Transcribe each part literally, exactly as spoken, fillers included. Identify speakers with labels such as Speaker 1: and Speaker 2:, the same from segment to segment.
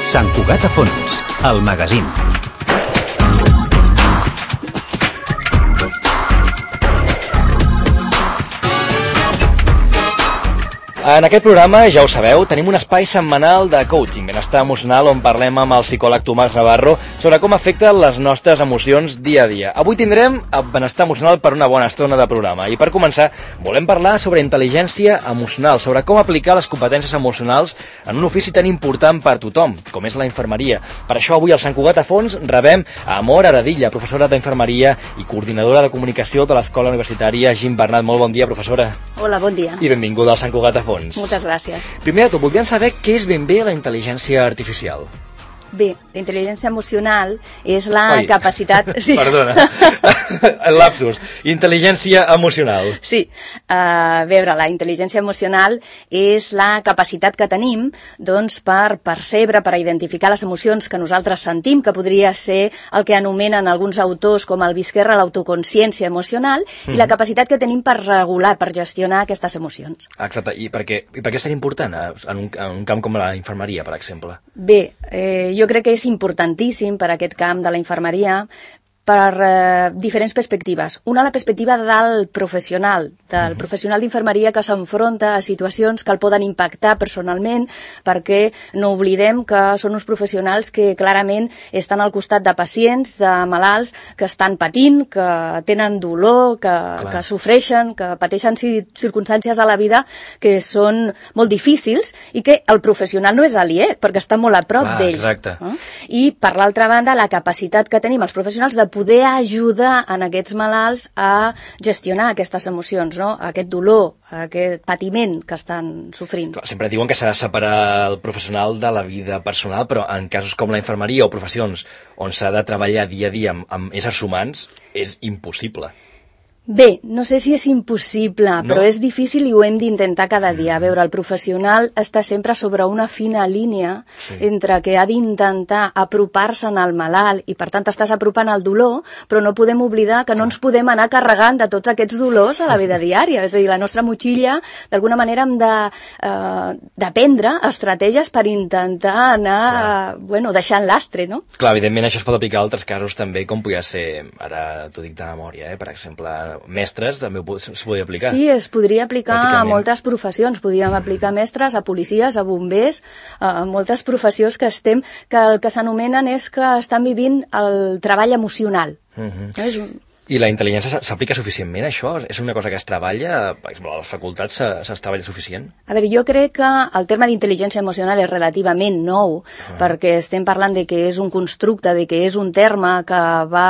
Speaker 1: Sant Cugat a Fons, el magazín.
Speaker 2: En aquest programa, ja ho sabeu, tenim un espai setmanal de coaching, benestar emocional, on parlem amb el psicòleg Tomàs Navarro sobre com afecten les nostres emocions dia a dia. Avui tindrem benestar emocional per una bona estona de programa. I per començar, volem parlar sobre intel·ligència emocional, sobre com aplicar les competències emocionals en un ofici tan important per tothom, com és la infermeria. Per això avui al Sant Cugat a Fons rebem a Amor Aradilla, professora d'infermeria i coordinadora de comunicació de l'Escola Universitària Gim Bernat. Molt bon dia, professora.
Speaker 3: Hola, bon dia.
Speaker 2: I benvinguda al Sant Cugat a Fons.
Speaker 3: Moltes gràcies.
Speaker 2: Primer de tot, voldríem saber què és ben bé la intel·ligència artificial.
Speaker 3: Bé, la intel·ligència emocional és la
Speaker 2: Oi.
Speaker 3: capacitat... Sí.
Speaker 2: Perdona, el lapsus. Intel·ligència emocional.
Speaker 3: Sí, a veure, la intel·ligència emocional és la capacitat que tenim doncs, per percebre, per identificar les emocions que nosaltres sentim, que podria ser el que anomenen alguns autors com el Visquerra l'autoconsciència emocional, mm-hmm. i la capacitat que tenim per regular, per gestionar aquestes emocions.
Speaker 2: Exacte, i per què, i per què és tan important en un, en un camp com la infermeria, per exemple?
Speaker 3: Bé, eh, jo crec que és importantíssim per a aquest camp de la infermeria per eh, diferents perspectives. Una, la perspectiva del professional, del uh-huh. professional d'infermeria que s'enfronta a situacions que el poden impactar personalment, perquè no oblidem que són uns professionals que clarament estan al costat de pacients, de malalts que estan patint, que tenen dolor, que, que sofreixen, que pateixen circumstàncies a la vida que són molt difícils i que el professional no és aliè, perquè està molt a prop d'ells.
Speaker 2: Exacte.
Speaker 3: Eh? I, per l'altra banda, la capacitat que tenim els professionals de poder ajudar en aquests malalts a gestionar aquestes emocions, no? Aquest dolor, aquest patiment que estan sofrint.
Speaker 2: Clar, sempre diuen que s'ha de separar el professional de la vida personal, però en casos com la infermeria o professions on s'ha de treballar dia a dia amb, amb éssers humans, és impossible.
Speaker 3: Bé, no sé si és impossible, no? Però és difícil i ho hem d'intentar cada dia. A veure, el professional està sempre sobre una fina línia sí. entre que ha d'intentar apropar-se al malalt i per tant estàs apropant al dolor, però no podem oblidar que no ens podem anar carregant de tots aquests dolors a la vida diària. És a dir, la nostra motxilla, d'alguna manera hem de, eh, d'aprendre estratègies per intentar anar eh, bueno, deixant l'astre, no?
Speaker 2: Clar, evidentment això es pot aplicar a altres casos també, com podria ser, ara t'ho dic de memòria, eh, per exemple, mestres també es podria aplicar.
Speaker 3: Sí, es podria aplicar a moltes professions. Podríem aplicar mestres, a policies, a bombers, a moltes professions que estem, que el que s'anomenen és que estan vivint el treball emocional.
Speaker 2: Uh-huh.
Speaker 3: No és un...
Speaker 2: I la intel·ligència s'aplica suficientment, això? És una cosa que es treballa? Per exemple, a les facultats es treballa suficient?
Speaker 3: A veure, jo crec que el terme d'intel·ligència emocional és relativament nou, ah. perquè estem parlant de que és un constructe, de que és un terme que va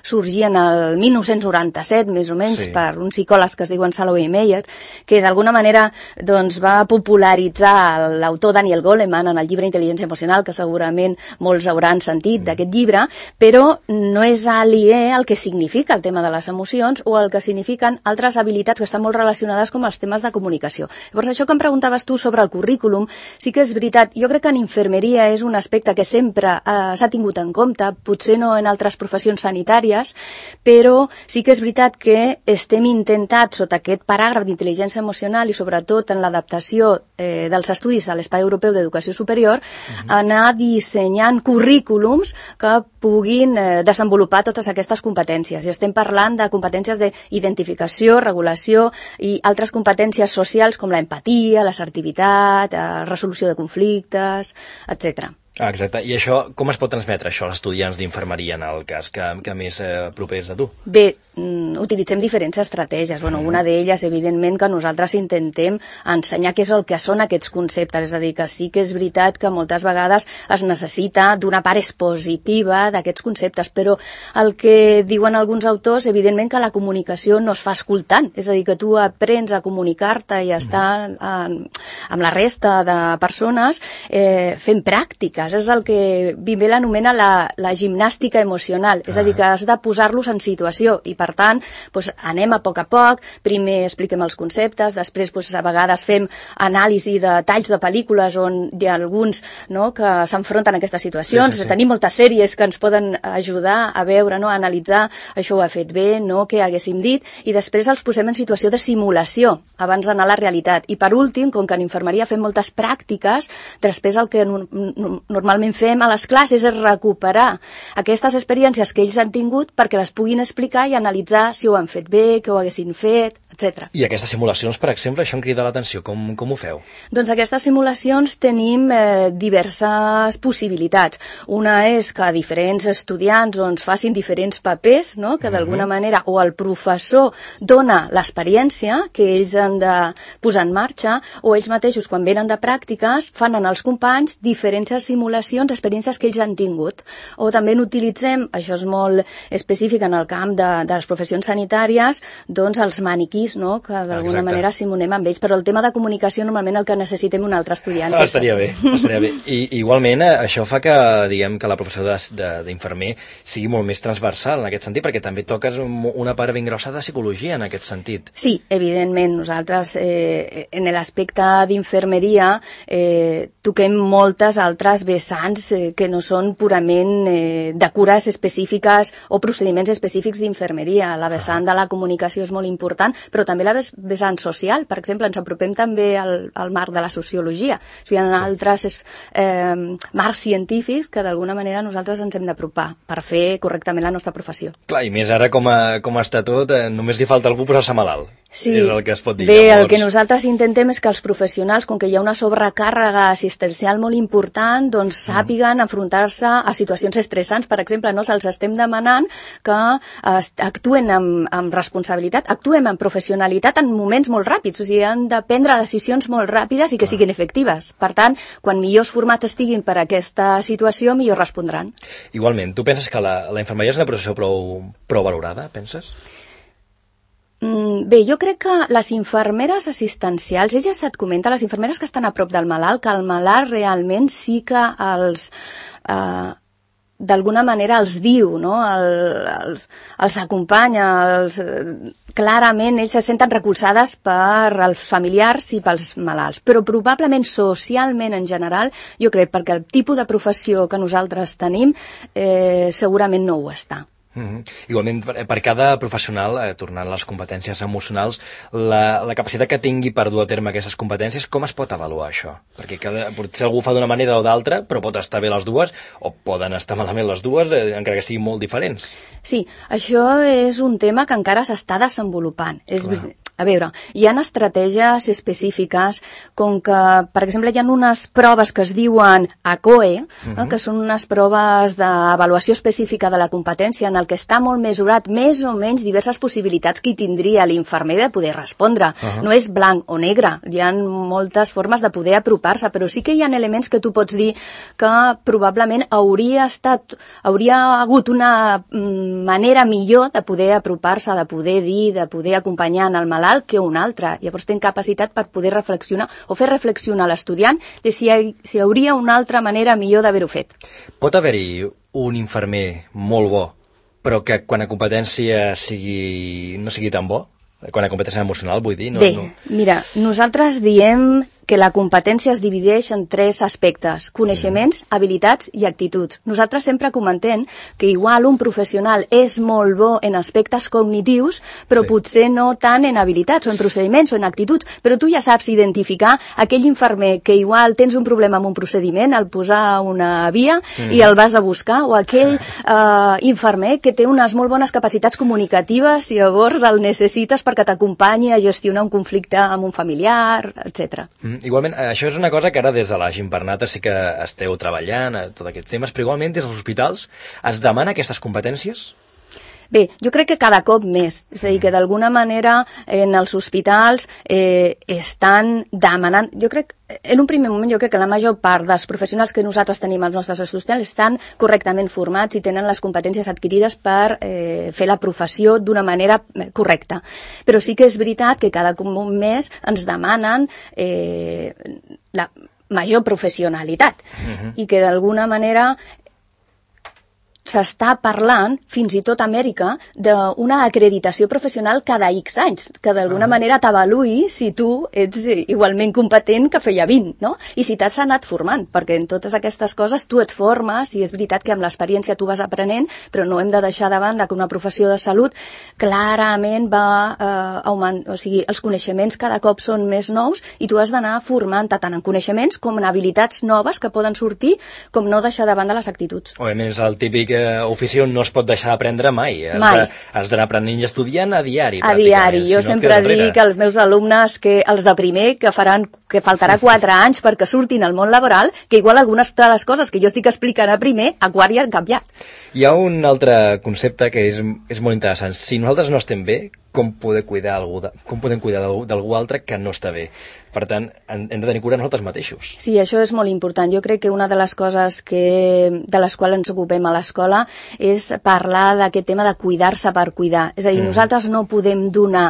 Speaker 3: sorgir en el mil nou-cents noranta-set, més o menys, sí. per uns psicòlegs que es diuen Salovey i Meyer, que d'alguna manera doncs, va popularitzar l'autor Daniel Goleman en el llibre Intel·ligència emocional, que segurament molts hauran sentit mm. d'aquest llibre, però no és aliè al que significa el tema de les emocions o el que signifiquen altres habilitats que estan molt relacionades com els temes de comunicació. Llavors, això que em preguntaves tu sobre el currículum, sí que és veritat. Jo crec que en infermeria és un aspecte que sempre eh, s'ha tingut en compte, potser no en altres professions sanitàries, però sí que és veritat que estem intentant, sota aquest paràgraf d'intel·ligència emocional i sobretot en l'adaptació eh, dels estudis a l'Espai Europeu d'Educació Superior, uh-huh. anar dissenyant currículums que puguin eh, desenvolupar totes aquestes competències. I estem parlant de competències d'identificació, regulació i altres competències socials com l'empatia, l'assertivitat, la resolució de conflictes, etcètera.
Speaker 2: Ah, exacte. I això, com es pot transmetre això als estudiants d'infermeria en el cas que, que més eh, propers a tu?
Speaker 3: Bé, mm, utilitzem diferents estratègies. Bueno, una d'elles, evidentment, que nosaltres intentem ensenyar què és el que són aquests conceptes. És a dir, que sí que és veritat que moltes vegades es necessita d'una part expositiva d'aquests conceptes, però el que diuen alguns autors, evidentment que la comunicació no es fa escoltant. És a dir, que tu aprens a comunicar-te i a estar en, amb la resta de persones eh, fent pràctiques. És el que Bimbel anomena la, la gimnàstica emocional, és a dir, que has de posar-los en situació i per tant doncs, anem a poc a poc, primer expliquem els conceptes, després doncs, a vegades fem anàlisi de talls de pel·lícules on hi ha alguns no, que s'enfronten a aquestes situacions, sí, sí, sí. Tenim moltes sèries que ens poden ajudar a veure, no, a analitzar això ho ha fet bé, no, què haguéssim dit, i després els posem en situació de simulació abans d'anar a la realitat. I per últim, com que en infermeria fem moltes pràctiques, després el que no, no, normalment fem a les classes és recuperar aquestes experiències que ells han tingut perquè les puguin explicar i analitzar si ho han fet bé, què ho haguessin fet, etcètera.
Speaker 2: I aquestes simulacions, per exemple, això em crida l'atenció. Com, com ho feu?
Speaker 3: Doncs aquestes simulacions tenim eh, diverses possibilitats. Una és que diferents estudiants doncs, facin diferents papers, no? Que d'alguna uh-huh. manera o el professor dona l'experiència que ells han de posar en marxa, o ells mateixos, quan venen de pràctiques, fan en els companys diferents simulacions, experiències que ells han tingut. O també n'utilitzem, això és molt específic en el camp de, de les professions sanitàries, doncs els maniquís, no? Que d'alguna manera simulem amb ells, però el tema de comunicació normalment el que necessitem un altre estudiant.
Speaker 2: Ah, estaria bé, estaria bé. I igualment això fa que, diguem, que la professió d'infermer sigui molt més transversal en aquest sentit, perquè també toques una part ben grossa de psicologia en aquest sentit.
Speaker 3: Sí, evidentment. Nosaltres eh, en l'aspecte d'infermeria eh, toquem moltes altres vessants eh, que no són purament eh, de cures específiques o procediments específics d'infermeria. La vessant de la comunicació és molt important, però també la vessant social. Per exemple, ens apropem també al, al marc de la sociologia. O sigui, hi ha sí. altres eh, marcs científics que d'alguna manera nosaltres ens hem d'apropar per fer correctament la nostra professió.
Speaker 2: Clar, i més ara com, a, com està tot, eh, només li falta algú posar-se malalt.
Speaker 3: Sí.
Speaker 2: És el que es pot dir.
Speaker 3: Bé,
Speaker 2: llavors...
Speaker 3: el que nosaltres intentem és que els professionals, com que hi ha una sobrecàrrega assistencial molt important, doncs sàpiguen enfrontar-se a situacions estressants. Per exemple, no se'ls estem demanant que actuen amb, amb responsabilitat, actuem amb professionalitat en moments molt ràpids, o sigui, han de prendre decisions molt ràpides i que siguin efectives. Per tant, quan millors formats estiguin per a aquesta situació, millor respondran.
Speaker 2: Igualment, tu penses que la, la infermeria és una professió prou, prou valorada, penses?
Speaker 3: Bé, jo crec que les infermeres assistencials, elles et comenta, les infermeres que estan a prop del malalt, que el malalt realment sí que els... Eh, d'alguna manera els diu, no? El, els, els acompanya, els, clarament ells se senten recolzades per els familiars i pels malalts, però probablement socialment en general, jo crec, perquè el tipus de professió que nosaltres tenim eh, segurament no ho està.
Speaker 2: Mm-hmm. Igualment, per, per cada professional, eh, tornant a les competències emocionals, la, la capacitat que tingui per dur a terme aquestes competències, com es pot avaluar això? Perquè cada, potser algú fa d'una manera o d'altra, però pot estar bé les dues, o poden estar malament les dues, eh, encara que siguin molt diferents.
Speaker 3: Sí, això és un tema que encara s'està desenvolupant. És, a veure, hi ha estratègies específiques, com que, per exemple, hi ha unes proves que es diuen A C O E, uh-huh. eh, que són unes proves d'avaluació específica de la competència, en el que està molt mesurat més o menys diverses possibilitats que hi tindria l'infermer de poder respondre. Uh-huh. No és blanc o negre, hi ha moltes formes de poder apropar-se, però sí que hi ha elements que tu pots dir que probablement hauria estat, hauria hagut una manera millor de poder apropar-se, de poder dir, de poder acompanyar en el malalt que una altra. Llavors ten capacitat per poder reflexionar o fer reflexionar l'estudiant de si hi, si hi hauria una altra manera millor d'haver-ho fet.
Speaker 2: Pot haver-hi un infermer molt bo però que quan a competència sigui, no sigui tan bo? Quan a competència emocional, vull dir? No,
Speaker 3: Bé,
Speaker 2: no...
Speaker 3: mira, nosaltres diem que la competència es divideix en tres aspectes: coneixements, mm. habilitats i actituds. Nosaltres sempre comentem que igual un professional és molt bo en aspectes cognitius, però sí. potser no tant en habilitats o en procediments o en actituds, però tu ja saps identificar aquell infermer que igual tens un problema amb un procediment, al posar una via mm. i el vas a buscar, o aquell eh, infermer que té unes molt bones capacitats comunicatives i llavors el necessites perquè t'acompanyi a gestionar un conflicte amb un familiar, etcètera.
Speaker 2: Mm. Igualment, això és una cosa que ara des de la Gimpernata sí que esteu treballant, a tots aquests temes, però igualment des dels hospitals es demana aquestes competències?
Speaker 3: Bé, jo crec que cada cop més, és a dir, que d'alguna manera en els hospitals eh, estan demanant, jo crec, en un primer moment jo crec que la major part dels professionals que nosaltres tenim als nostres estudiants estan correctament formats i tenen les competències adquirides per eh, fer la professió d'una manera correcta. Però sí que és veritat que cada cop més ens demanen eh, la major professionalitat uh-huh. i que d'alguna manera s'està parlant, fins i tot a Amèrica, d'una acreditació professional cada X anys, que d'alguna manera t'avaluï si tu ets igualment competent que feia vint, no? I si t'has anat formant, perquè en totes aquestes coses tu et formes, i és veritat que amb l'experiència tu vas aprenent, però no hem de deixar de banda que una professió de salut clarament va eh, augmentar, o sigui, els coneixements cada cop són més nous i tu has d'anar formant-te tant en coneixements com en habilitats noves que poden sortir, com no deixar de banda les actituds.
Speaker 2: Òbviament és el típic ofici on no es pot deixar d'aprendre mai.
Speaker 3: Mai.
Speaker 2: Has d'anar aprenent i estudiant a diari.
Speaker 3: A diari. Jo sempre dic als meus alumnes que els de primer que faran que faltarà quatre anys perquè surtin al món laboral, que igual algunes de les coses que jo estic explicant a primer, a quart ja han canviat.
Speaker 2: Hi ha un altre concepte que és, és molt interessant. Si nosaltres no estem bé, com poder cuidar algú de, com podem cuidar d'algú altre que no està bé? Per tant, hem de tenir cura nosaltres mateixos.
Speaker 3: Sí, això és molt important. Jo crec que una de les coses que, de les quals ens ocupem a l'escola és parlar d'aquest tema de cuidar-se per cuidar. És a dir, mm. nosaltres no podem donar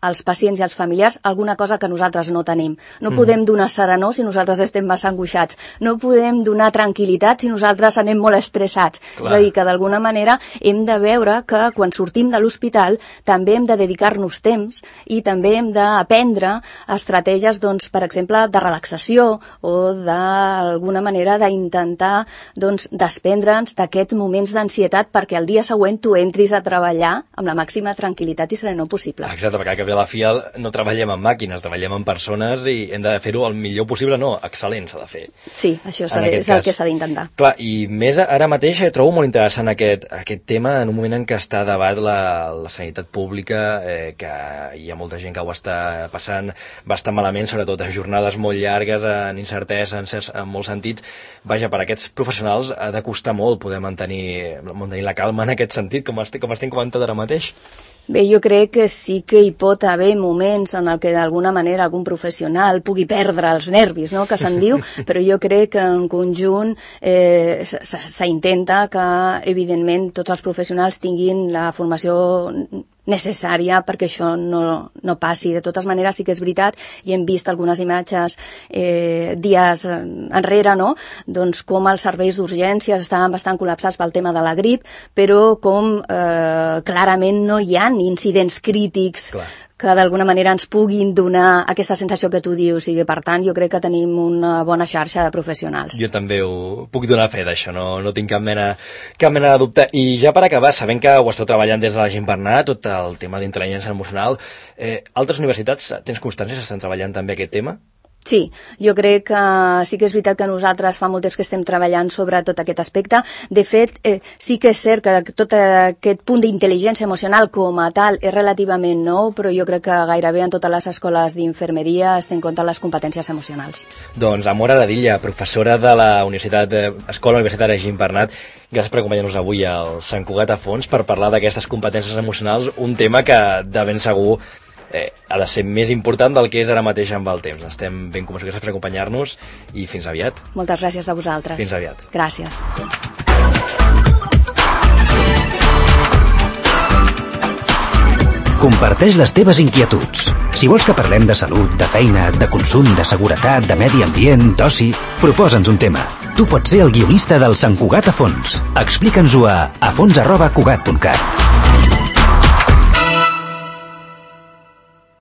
Speaker 3: als pacients i als familiars alguna cosa que nosaltres no tenim. No mm. podem donar serenor si nosaltres estem massa angoixats. No podem donar tranquil·litat si nosaltres anem molt estressats. Clar. És a dir, que d'alguna manera hem de veure que quan sortim de l'hospital també hem de dedicar-nos temps i també hem d'aprendre estratègies, doncs, per exemple, de relaxació o d'alguna manera d'intentar doncs, desprendre'ns d'aquests moments d'ansietat perquè el dia següent tu entris a treballar amb la màxima tranquil·litat i serenor possible.
Speaker 2: Exacte, perquè a la fi no treballem amb màquines, treballem amb persones i hem de fer-ho el millor possible, no, excel·lent s'ha de fer.
Speaker 3: Sí, això és el cas. Que s'ha d'intentar.
Speaker 2: Clar, i més ara mateix trobo molt interessant aquest, aquest tema en un moment en què està a debat la, la sanitat pública, eh, que hi ha molta gent que ho està passant bastant malament, sobretot a jornades molt llargues, en incertesa, en, certs, en molts sentits. Vaja, per a aquests professionals ha de costar molt poder mantenir, mantenir la calma en aquest sentit, com estem, com estem comentant ara mateix.
Speaker 3: Bé, jo crec que sí que hi pot haver moments en el que d'alguna manera algun professional pugui perdre els nervis, no?, que se'n diu, però jo crec que en conjunt eh, s'intenta que, evidentment, tots els professionals tinguin la formació necessària perquè això no, no passi. De totes maneres, sí que és veritat, i hem vist algunes imatges eh, dies enrere, no?, doncs com els serveis d'urgències estaven bastant col·lapsats pel tema de la grip, però com eh, clarament no hi ha incidents crítics. Clar. Que d'alguna manera ens puguin donar aquesta sensació que tu dius. I per tant, jo crec que tenim una bona xarxa de professionals.
Speaker 2: Jo també ho puc donar fe d'això, no, no tinc cap mena, cap mena de dubte. I ja per acabar, sabent que ho esteu treballant des de la Gimbernat, tot el tema d'intel·ligència emocional, eh, altres universitats, tens constància que estan treballant també aquest tema?
Speaker 3: Sí, jo crec que sí que és veritat que nosaltres fa molt temps que estem treballant sobre tot aquest aspecte. De fet, eh, sí que és cert que tot aquest punt d'intel·ligència emocional com a tal és relativament nou, però jo crec que gairebé en totes les escoles d'infermeria es tenen en compte les competències emocionals.
Speaker 2: Doncs Amor Aradilla, professora de la Universitat Escola Universitària Gimbernat, gràcies per acompanyar-nos avui al Sant Cugat a Fons per parlar d'aquestes competències emocionals, un tema que de ben segur Eh, ha de ser més important del que és ara mateix amb el temps. Estem ben convençuts. Gràcies per acompanyar-nos i fins aviat.
Speaker 3: Moltes gràcies a vosaltres.
Speaker 2: Fins aviat.
Speaker 3: Gràcies.
Speaker 1: Comparteix les teves inquietuds. Si vols que parlem de salut, de feina, de consum, de seguretat, de medi ambient, d'oci, proposa'ns un tema. Tu pots ser el guionista del Sant Cugat a Fons. Explica'ns-ho a afons arroba cugat punt cat.